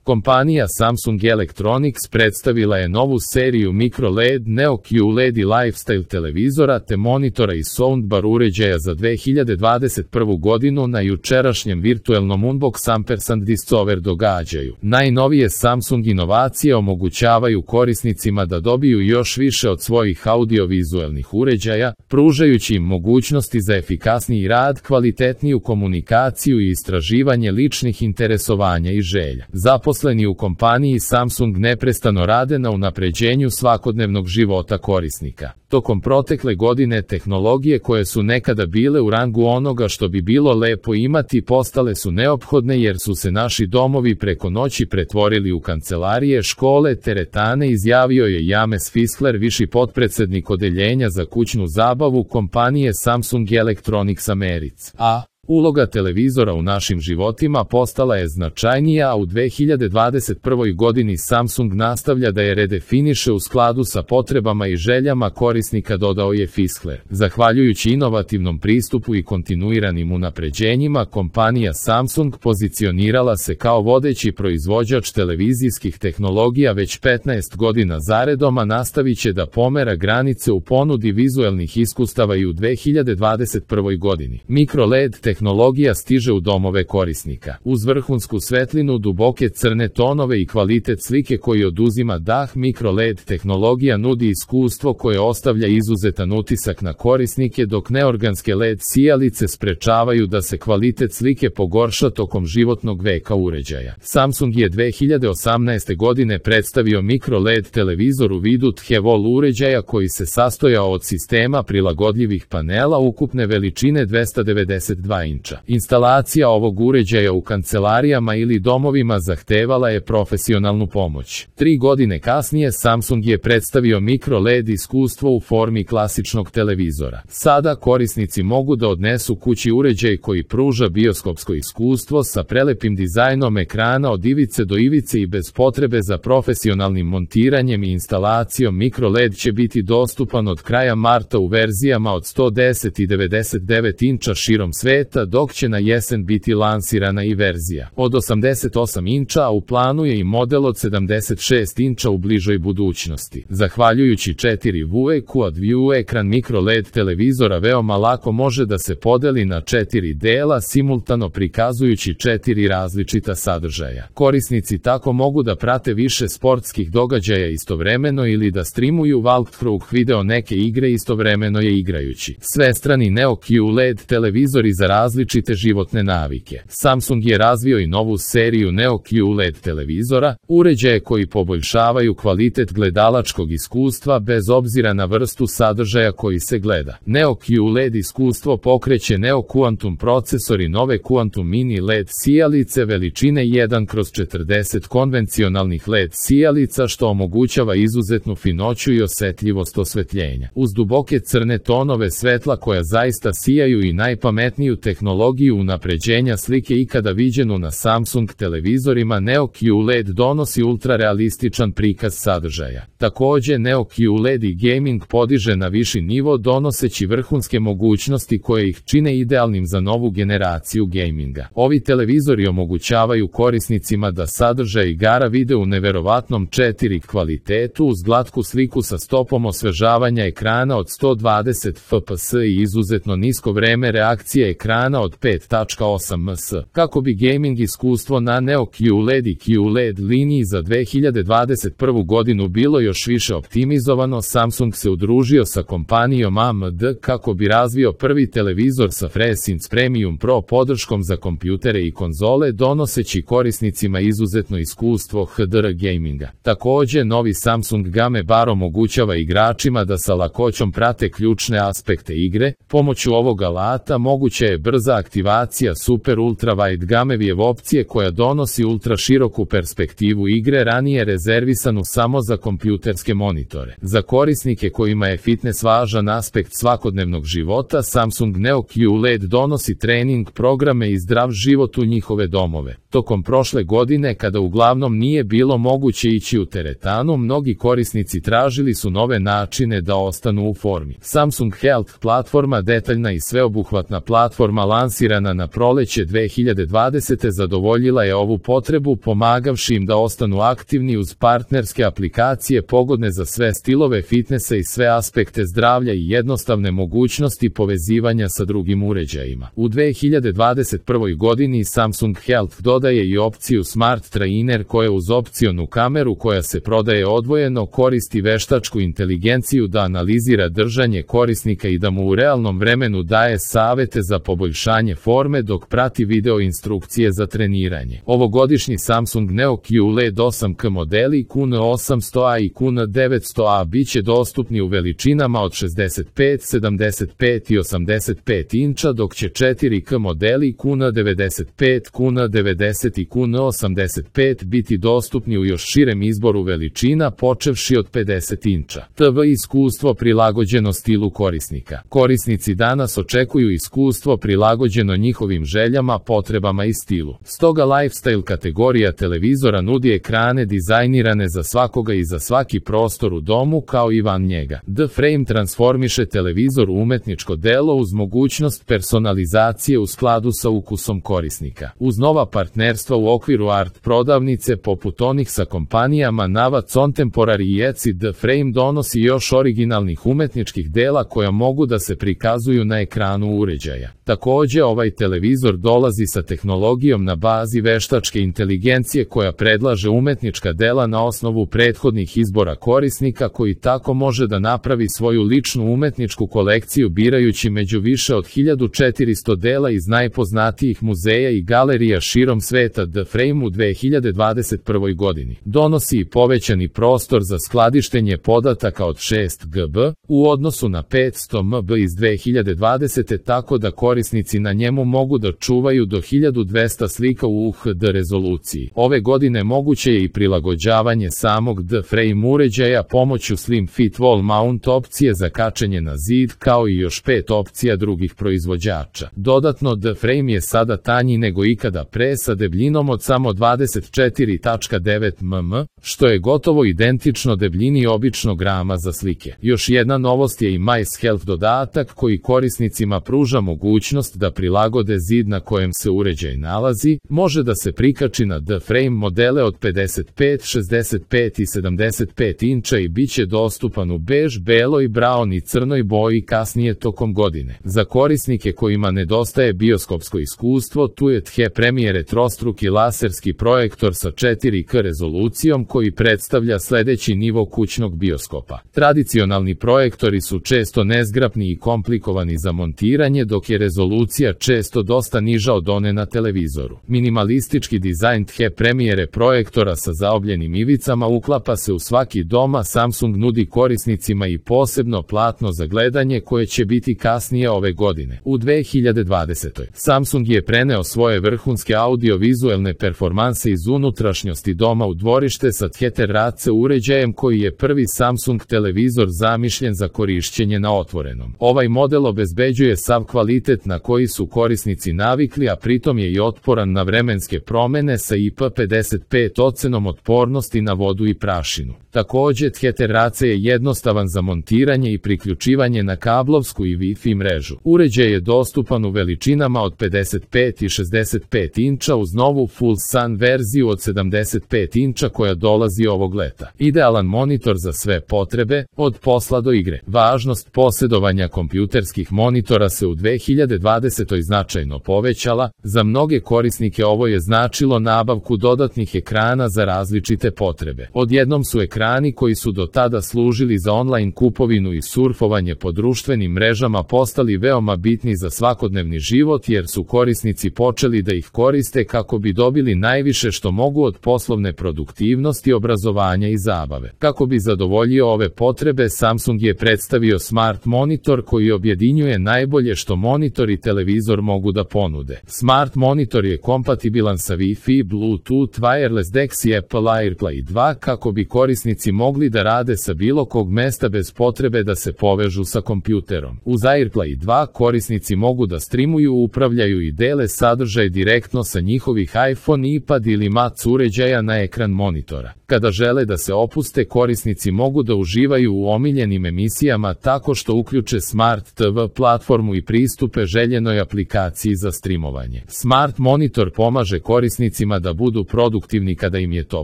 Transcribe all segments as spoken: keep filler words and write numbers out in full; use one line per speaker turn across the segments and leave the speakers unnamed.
Kompanija Samsung Electronics predstavila je novu seriju MicroLED, NeoQLED i Lifestyle televizora te monitora i soundbar uređaja za dve hiljade dvadeset prvu godinu na jučerašnjem virtuelnom Unbox Ampersand Discover događaju. Najnovije Samsung inovacije omogućavaju korisnicima da dobiju još više od svojih audiovizualnih uređaja, pružajući im mogućnosti za efikasniji rad, kvalitetniju komunikaciju i istraživanje ličnih interesovanja i želja. Zaposleni u kompaniji Samsung neprestano rade na unapređenju svakodnevnog života korisnika. Tokom protekle godine tehnologije koje su nekada bile u rangu onoga što bi bilo lepo imati postale su neophodne jer su se naši domovi preko noći pretvorili u kancelarije, škole, teretane, izjavio je James Fischler, viši potpredsednik odeljenja za kućnu zabavu kompanije Samsung Electronics America. A uloga televizora u našim životima postala je značajnija, a u dve hiljade dvadeset prvoj godini Samsung nastavlja da je redefiniše u skladu sa potrebama i željama korisnika, dodao je Fischler. Zahvaljujući inovativnom pristupu i kontinuiranim unapređenjima, kompanija Samsung pozicionirala se kao vodeći proizvođač televizijskih tehnologija već petnaest godina zaredom, a nastavit će da pomera granice u ponudi vizuelnih iskustava i u dve hiljade dvadeset prvoj godini. MicroLED tehnologija stiže u domove korisnika. Uz vrhunsku svetlinu, duboke crne tonove i kvalitet slike koji oduzima dah, MicroLED tehnologija nudi iskustvo koje ostavlja izuzetan utisak na korisnike, dok neorganske L E D sijalice sprečavaju da se kvalitet slike pogorša tokom životnog veka uređaja. Samsung je dve hiljade osamnaeste godine predstavio MicroLED televizor u vidu Thewol uređaja koji se sastojao od sistema prilagodljivih panela ukupne veličine dvesta devedeset dva inča. Instalacija ovog uređaja u kancelarijama ili domovima zahtevala je profesionalnu pomoć. Tri godine kasnije Samsung je predstavio MicroLED iskustvo u formi klasičnog televizora. Sada korisnici mogu da odnesu kući uređaj koji pruža bioskopsko iskustvo sa prelepim dizajnom ekrana od ivice do ivice i bez potrebe za profesionalnim montiranjem i instalacijom. MicroLED će biti dostupan od kraja marta u verzijama od sto deset i devedeset devet inča širom sveta, dok će na jesen biti lansirana i verzija od osamdeset osam inča, a u planu je i model od sedamdeset šest inča u bližoj budućnosti. Zahvaljujući četiri V Quad View ekran MicroLED televizora veoma lako može da se podeli na četiri dela, simultano prikazujući četiri različita sadržaja. Korisnici tako mogu da prate više sportskih događaja istovremeno ili da streamuju walkthrough video neke igre istovremeno je igrajući. Svestrani NeoQLED televizori za različite životne navike. Samsung je razvio i novu seriju NeoQLED televizora, uređaje koji poboljšavaju kvalitet gledalačkog iskustva bez obzira na vrstu sadržaja koji se gleda. NeoQLED iskustvo pokreće Neo Quantum procesor i nove Quantum Mini L E D sijalice veličine jedan kroz četrdeset konvencionalnih L E D sijalica, što omogućava izuzetnu finoću i osetljivost osvetljenja. Uz duboke crne tonove svetla koja zaista sijaju i najpametniju tehnologiju unapređenja slike ikada viđenu na Samsung televizorima, NeoQLED donosi ultrarealističan prikaz sadržaja. Takođe, NeoQLED i gaming podiže na viši nivo donoseći vrhunske mogućnosti koje ih čine idealnim za novu generaciju gaminga. Ovi televizori omogućavaju korisnicima da sadržaj igara vide u neverovatnom četiri K kvalitetu uz glatku sliku sa stopom osvežavanja ekrana od sto dvadeset F P S i izuzetno nisko vreme reakcije ekrana od pet zarez osam ms. Kako bi gaming iskustvo na NeoQLED i QLED liniji za dve hiljade dvadeset prvu godinu bilo još više optimizovano, Samsung se udružio sa kompanijom A M D kako bi razvio prvi televizor sa FreeSense Premium Pro podrškom za kompjutere i konzole, donoseći korisnicima izuzetno iskustvo H D R gaminga. Takođe, novi Samsung Game Bar omogućava igračima da sa lakoćom prate ključne aspekte igre. Pomoću ovog alata moguća je brza aktivacija Super Ultra Wide Gamevijev opcije koja donosi ultra široku perspektivu igre, ranije rezervisanu samo za kompjuterske monitore. Za korisnike kojima je fitness važan aspekt svakodnevnog života, Samsung NeoQLED donosi trening programe i zdrav život u njihove domove. Tokom prošle godine, kada uglavnom nije bilo moguće ići u teretanu, mnogi korisnici tražili su nove načine da ostanu u formi. Samsung Health platforma, detaljna i sveobuhvatna platforma platforma lansirana na proleće dve hiljade dvadesete zadovoljila je ovu potrebu pomagavši im da ostanu aktivni uz partnerske aplikacije pogodne za sve stilove fitnesa i sve aspekte zdravlja i jednostavne mogućnosti povezivanja sa drugim uređajima. U dve hiljade dvadeset prvoj godini Samsung Health dodaje i opciju Smart Trainer koja uz opcionu kameru koja se prodaje odvojeno koristi veštačku inteligenciju da analizira držanje korisnika i da mu u realnom vremenu daje savete za poboljšanje forme dok prati video instrukcije za treniranje. Ovogodišnji Samsung Neo Q L E D osam K modeli Q N osamsto A i Q N devetsto A biće dostupni u veličinama od šezdeset pet, sedamdeset pet i osamdeset pet inča, dok će četiri K modeli Q N devedeset pet, Q N devedeset i Q N osamdeset pet biti dostupni u još širem izboru veličina počevši od pedeset inča. T V iskustvo prilagođeno stilu korisnika. Korisnici danas očekuju iskustvo prilagođeno njihovim željama, potrebama i stilu. Stoga lifestyle kategorija televizora nudi ekrane dizajnirane za svakoga i za svaki prostor u domu kao i van njega. The Frame transformiše televizor u umetničko delo uz mogućnost personalizacije u skladu sa ukusom korisnika. Uz nova partnerstva u okviru art prodavnice poput onih sa kompanijama Nava Contemporary i Etsy, The Frame donosi još originalnih umetničkih dela koja mogu da se prikazuju na ekranu uređaja. Takođe, ovaj televizor dolazi sa tehnologijom na bazi veštačke inteligencije koja predlaže umetnička dela na osnovu prethodnih izbora korisnika koji tako može da napravi svoju ličnu umetničku kolekciju birajući među više od hiljadu četiristo dela iz najpoznatijih muzeja i galerija širom sveta. The Frame u dve hiljade dvadeset prvoj godini donosi i povećani prostor za skladištenje podataka od šest gigabyta u odnosu na petsto megabajta iz dve hiljade dvadesete tako da korisnici na njemu mogu da čuvaju do hiljadu dvesta slika u U H D rezoluciji. Ove godine moguće je i prilagođavanje samog The Frame uređaja pomoću Slim Fit Wall Mount opcije za kačenje na zid kao i još pet opcija drugih proizvođača. Dodatno, The Frame je sada tanji nego ikada pre sa debljinom od samo dvadeset četiri zarez devet milimetra, što je gotovo identično debljini običnog rama za slike. Još jedna novost je i Mice Health dodatak koji korisnicima pruža mogućnost da prilagode zid na kojem se uređaj nalazi, može da se prikači na The Frame modele od pedeset pet, šezdeset pet i sedamdeset pet inča i bit će dostupan u bež, beloj, brown i crnoj boji kasnije tokom godine. Za korisnike kojima nedostaje bioskopsko iskustvo, tu je The Premiere trostruki laserski projektor sa četiri K rezolucijom koji predstavlja sledeći nivo kućnog bioskopa. Tradicionalni projektori su često nezgrapni i komplikovani za montiranje, dok je rezolucija često dosta niža od one na televizoru. Minimalistički dizajn The Premiere projektora sa zaobljenim ivicama uklapa se u svaki dom, a Samsung nudi korisnicima i posebno platno za gledanje koje će biti kasnije ove godine. U dve hiljade dvadesetoj. Samsung je preneo svoje vrhunske audio-vizuelne performanse iz unutrašnjosti doma u dvorište sa The Terrace uređajem koji je prvi Samsung televizor zamišljen za korišćenje na otvorenom. Ovaj model obezbeđuje sav kvalitet na koji su korisnici navikli, a pritom je i otporan na vremenske promene sa I P pedeset pet ocenom otpornosti na vodu i prašinu. Takođe, The Terrace je jednostavan za montiranje i priključivanje na kablovsku i Wi-Fi mrežu. Uređaj je dostupan u veličinama od pedeset pet i šezdeset pet inča uz novu Full Sun verziju od sedamdeset pet inča koja dolazi ovog leta. Idealan monitor za sve potrebe, od posla do igre. Važnost posjedovanja kompjuterskih monitora se u dve hiljade dvadesetoj značajno povećala, za mnoge korisnike ovo je značilo nabavku dodatnih ekrana za različite potrebe. Odjednom su ekrani koji su do tada služili za online kupovinu i surfovanje po društvenim mrežama postali veoma bitni za svakodnevni život jer su korisnici počeli da ih koriste kako bi dobili najviše što mogu od poslovne produktivnosti, obrazovanja i zabave. Kako bi zadovoljio ove potrebe, Samsung je predstavio Smart Monitor koji objedinjuje najbolje što monitor i televizor mogu da ponude. Smart Monitor je kompatibilan sa Wi-Fi, Bluetooth, Wireless D E X i Apple AirPlay dva kako bi korisnici mogli da rade sa bilo kog mesta bez potrebe da se povežu sa kompjuterom. Uz AirPlay dva korisnici mogu da streamuju, upravljaju i dele sadržaj direktno sa njihovih iPhone, iPad ili Mac uređaja na ekran monitora. Kada žele da se opuste, korisnici mogu da uživaju u omiljenim emisijama tako što uključe Smart T V platformu i pristupe željenim željenoj aplikaciji za streamovanje. Smart monitor pomaže korisnicima da budu produktivni kada im je to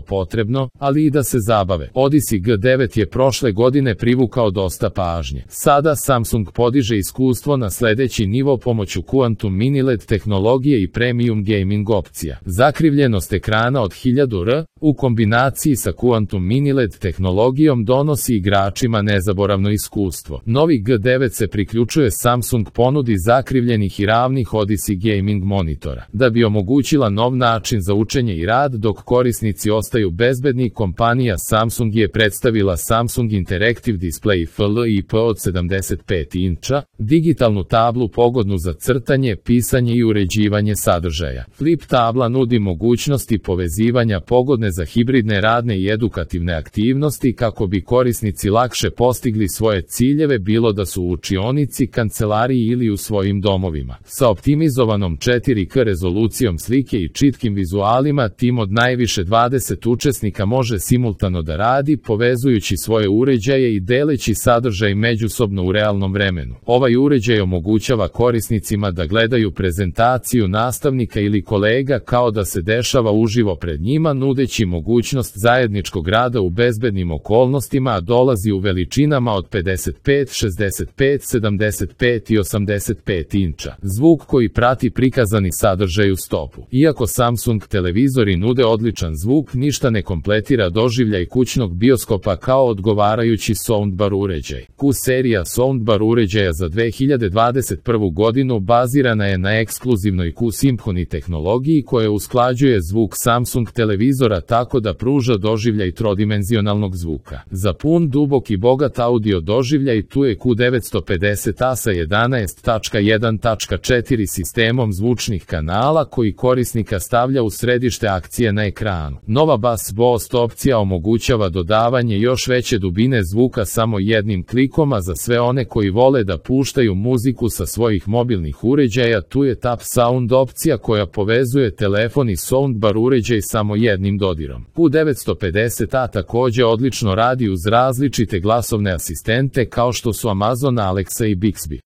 potrebno, ali i da se zabave. Odyssey G devet je prošle godine privukao dosta pažnje. Sada Samsung podiže iskustvo na sledeći nivo pomoću Quantum Mini L E D tehnologije i premium gaming opcija. Zakrivljenost ekrana od hiljadu R u kombinaciji sa Quantum Mini L E D tehnologijom donosi igračima nezaboravno iskustvo. Novi G devet se priključuje Samsung ponudi zakrivljenih i ravnih Odyssey gaming monitora. Da bi omogućila nov način za učenje i rad dok korisnici ostaju bezbedni, kompanija Samsung je predstavila Samsung Interactive Display F L I P od sedamdeset pet inča, digitalnu tablu pogodnu za crtanje, pisanje i uređivanje sadržaja. Flip tabla nudi mogućnosti povezivanja pogodne za hibridne radne i edukativne aktivnosti kako bi korisnici lakše postigli svoje ciljeve, bilo da su u učionici, kancelariji ili u svojim domovima. Sa optimizovanom četiri K rezolucijom slike i čitkim vizualima, tim od najviše dvadeset učesnika može simultano da radi, povezujući svoje uređaje i deleći sadržaj međusobno u realnom vremenu. Ovaj uređaj omogućava korisnicima da gledaju prezentaciju nastavnika ili kolega kao da se dešava uživo pred njima, nudeći mogućnost zajedničkog rada u bezbednim okolnostima, a dolazi u veličinama od pedeset pet, šezdeset pet, sedamdeset pet i osamdeset pet inča. Zvuk koji prati prikazani sadržaj u stopu. Iako Samsung televizori nude odličan zvuk, ništa ne kompletira doživljaj kućnog bioskopa kao odgovarajući soundbar uređaj. Q serija soundbar uređaja za dve hiljade dvadeset prvu godinu bazirana je na ekskluzivnoj Q Symphony tehnologiji koja usklađuje zvuk Samsung televizora tako da pruža doživljaj trodimenzionalnog zvuka. Za pun, dubok i bogat audio doživljaj tu je Q devetsto pedeset A sa jedanaest tačka jedan tačka četiri sistemom zvučnih kanala koji korisnika stavlja u središte akcije na ekranu. Nova Bass Boost opcija omogućava dodavanje još veće dubine zvuka samo jednim klikom, a za sve one koji vole da puštaju muziku sa svojih mobilnih uređaja tu je Tap Sound opcija koja povezuje telefon i soundbar uređaj samo jednim dodirom. Q devetsto pedeset A takođe odlično radi uz različite glasovne asistente kao što su Amazon Alexa i Bixby.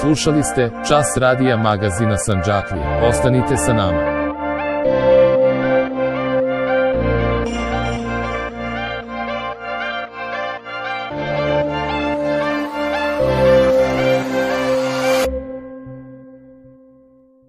Slušali ste Čas radija magazina Sandžaklija. Ostanite sa nama.